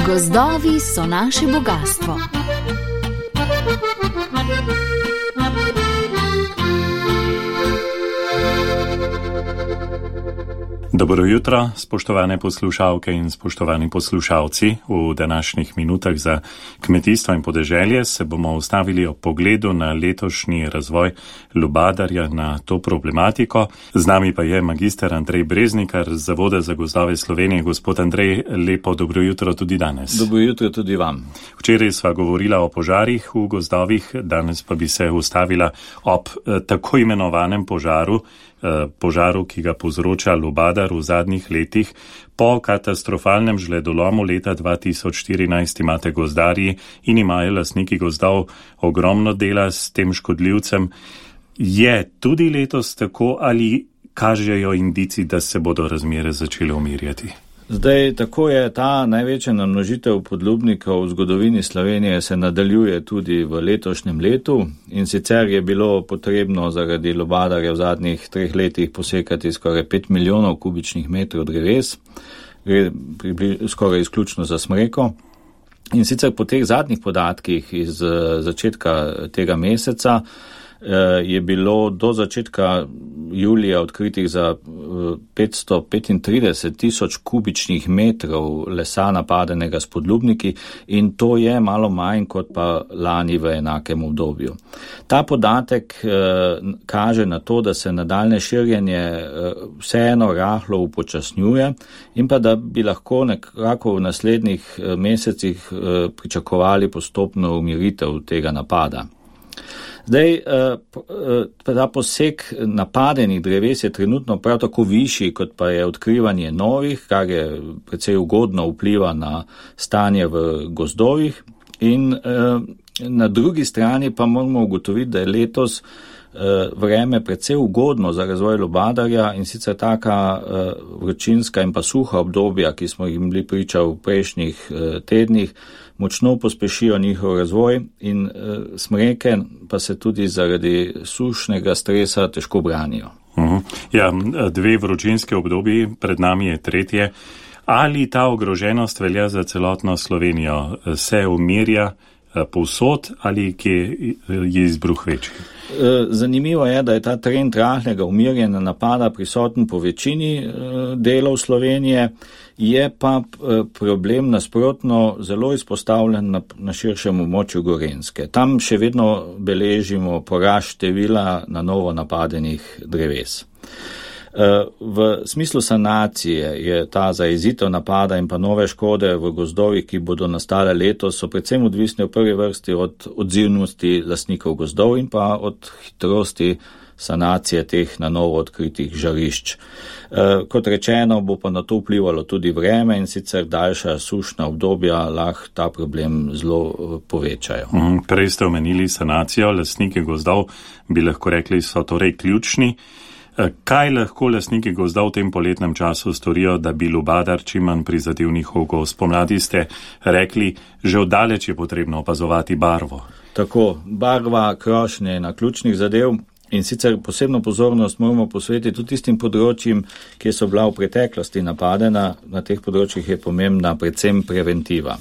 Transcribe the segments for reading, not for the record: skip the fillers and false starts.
Gozdovi so naše bogastvo. Dobro jutro, spoštovane poslušalke in spoštovani poslušalci. V današnjih minutah za kmetijstvo in podeželje se bomo ustavili ob pogledu na letošnji razvoj lubadarja, na to problematiko. Z nami pa je magister Andrej Breznikar z Zavoda za gozdove Slovenije. Gospod Andrej, lepo dobro jutro tudi danes. Dobro jutro tudi vam. Včeraj sva govorila o požarih v gozdovih, danes pa bi se ustavila ob tako imenovanem požaru, ki ga povzroča lubadar v zadnjih letih. Po katastrofalnem žledolomu leta 2014 imate gozdarji in imajo lastniki gozdov ogromno dela s tem škodljivcem. Je tudi letos tako ali kažejo indici, da se bodo razmere začele umirjati? Zdaj, tako je ta največja namnožitev podlubnikov v zgodovini Slovenije se nadaljuje tudi v letošnjem letu in sicer je bilo potrebno zaradi lubadarja v zadnjih 3 letih posekati skoraj 5 milijonov kubičnih metrov dreves, gre skoraj izključno za smreko. In sicer po teh zadnjih podatkih iz začetka tega meseca je bilo do začetka julija odkritih za 535 tisoč kubičnih metrov lesa napadenega s podlubniki in to je malo manj kot pa lani v enakem obdobju. Ta podatek kaže na to, da se nadaljne širjenje vseeno rahlo upočasnjuje in pa da bi lahko nekako v naslednjih mesecih pričakovali postopno umiritev tega napada. Zdaj, ta poseg napadenih dreves je trenutno prav tako višji, kot pa je odkrivanje novih, kar je precej ugodno vpliva na stanje v gozdovih. In na drugi strani pa moramo ugotoviti, da je letos vreme precej ugodno za razvoj lubadarja in sicer taka vročinska in pa suha obdobja, ki smo jim bili priča v prejšnjih tednih, močno pospešijo njihov razvoj in smreke pa se tudi zaradi sušnega stresa težko branijo. Ja, 2 vročinske obdobji, pred nami je 3. Ali ta ogroženost velja za celotno Slovenijo? Se umirja povsod ali kje je izbruh večji? Zanimivo je, da je ta trend rahlega umirjanja napada prisoten po večini delov Slovenije, je pa problem nasprotno zelo izpostavljen na širšem območju Gorenjske. Tam še vedno beležimo porast števila na novo napadenih dreves. V smislu sanacije je ta zajezitev napada in pa nove škode v gozdovih, ki bodo nastale letos, so predvsem odvisne v prvi vrsti od odzivnosti lastnikov gozdov in pa od hitrosti sanacije teh na novo odkritih žarišč. Kot rečeno, bo pa na to vplivalo tudi vreme in sicer daljša sušna obdobja lahko ta problem zelo povečajo. Prej ste omenili sanacijo, lastniki gozdov bi lahko rekli, so torej ključni. Kaj lahko lastniki gozdov v tem poletnem času storijo, da bi lubadar čim manj prizadel njihov gozd? Spomladi ste rekli, že oddaleč je potrebno opazovati barvo. Tako, barva, krošnje na ključnih zadev in sicer posebno pozornost moramo posvetiti tudi tistim področjem, ki so bila v preteklosti napadena. Na teh področjih je pomembna predvsem preventiva.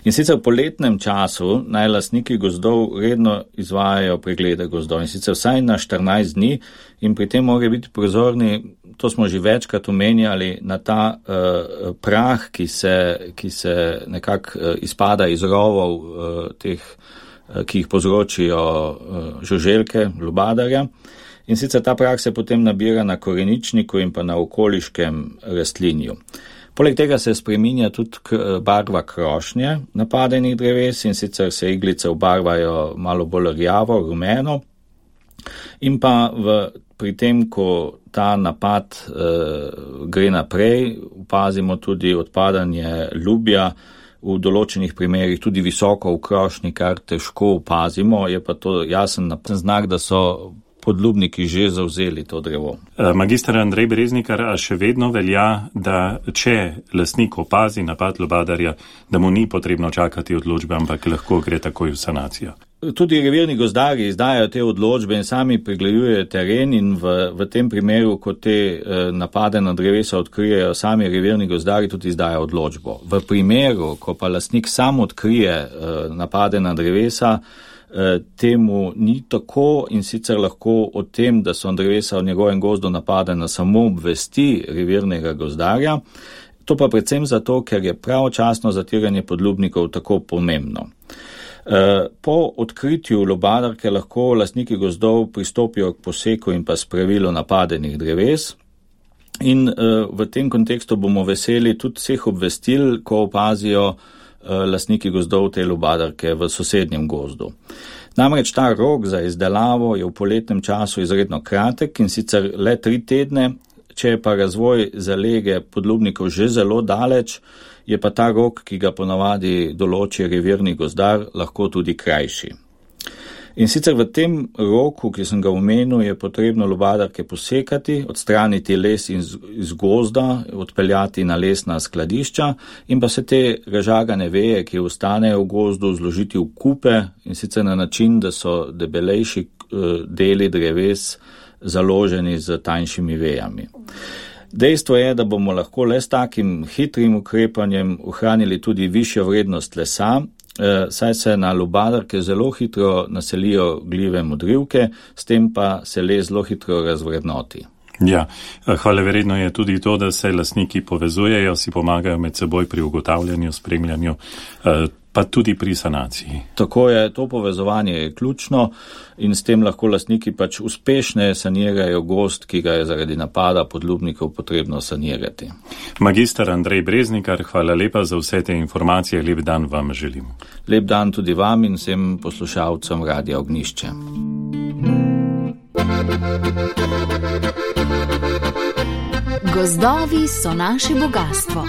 In sicer v poletnem času naj lastniki gozdov redno izvajajo preglede gozdov in sicer vsaj na 14 dni in pri tem morajo biti pozorni, to smo že večkrat omenjali, na ta prah, ki se nekako izpada iz rovov teh, ki jih povzročijo žuželke, lubadarja. In sicer ta prah se potem nabira na koreničniku in pa na okoliškem rastlinju. Poleg tega se spreminja tudi barva krošnje napadenih dreves in sicer se iglice obarvajo malo bolj rjavo, rumeno in pa pri tem, ko ta napad gre naprej, opazimo tudi odpadanje lubja, v določenih primerih tudi visoko v krošnji, kar težko opazimo, je pa to jasen znak, da so podlubniki že zavzeli to drevo. Magister Andrej Breznikar, a še vedno velja, da če lastnik opazi napad lubadarja, da mu ni potrebno čakati odločbe, ampak lahko gre takoj v sanacijo. Tudi revirni gozdarji izdajajo te odločbe in sami pregledujejo teren in v tem primeru, ko te napade na drevesa odkrijejo, sami revirni gozdarji tudi izdajajo odločbo. V primeru, ko pa lastnik sam odkrije napade na drevesa, temu ni tako in sicer lahko o tem, da so drevesa v njegovem gozdu napadena, samo obvesti revirnega gozdarja. To pa predvsem zato, ker je pravočasno zatiranje podlubnikov tako pomembno. Po odkritju lubadarke lahko lastniki gozdov pristopijo k poseku in pa spravilu napadenih dreves. In v tem kontekstu bomo veseli tudi vseh obvestil, ko opazijo lastniki gozdov te lubadarke v sosednjem gozdu. Namreč ta rok za izdelavo je v poletnem času izredno kratek in sicer le 3 tedne, če je pa razvoj zalege podlubnikov že zelo daleč, je pa ta rok, ki ga ponavadi določi revirni gozdar, lahko tudi krajši. In sicer v tem roku, ki sem ga omenil, je potrebno lubadarke posekati, odstraniti les iz gozda, odpeljati na lesna skladišča in pa se te razžagane veje, ki ostanejo v gozdu, zložiti v kupe in sicer na način, da so debelejši deli dreves založeni z tanjšimi vejami. Dejstvo je, da bomo lahko le s takim hitrim ukrepanjem ohranili tudi višjo vrednost lesa, saj se na lubadarke zelo hitro naselijo gljive modrivke, s tem pa se les zelo hitro razvrednoti. Ja, hvalevredno je tudi to, da se lastniki povezujejo, si pomagajo med seboj pri ugotavljanju, spremljanju, pa tudi pri sanaciji. Tako je, to povezovanje je ključno in s tem lahko lastniki pač uspešne sanirajo gozd, ki ga je zaradi napada podlubnikov potrebno sanirati. Magister Andrej Breznikar, hvala lepa za vse te informacije, lep dan vam želim. Lep dan tudi vam in vsem poslušalcem Radia Ognjišče. Gozdovi so naše bogatstvo.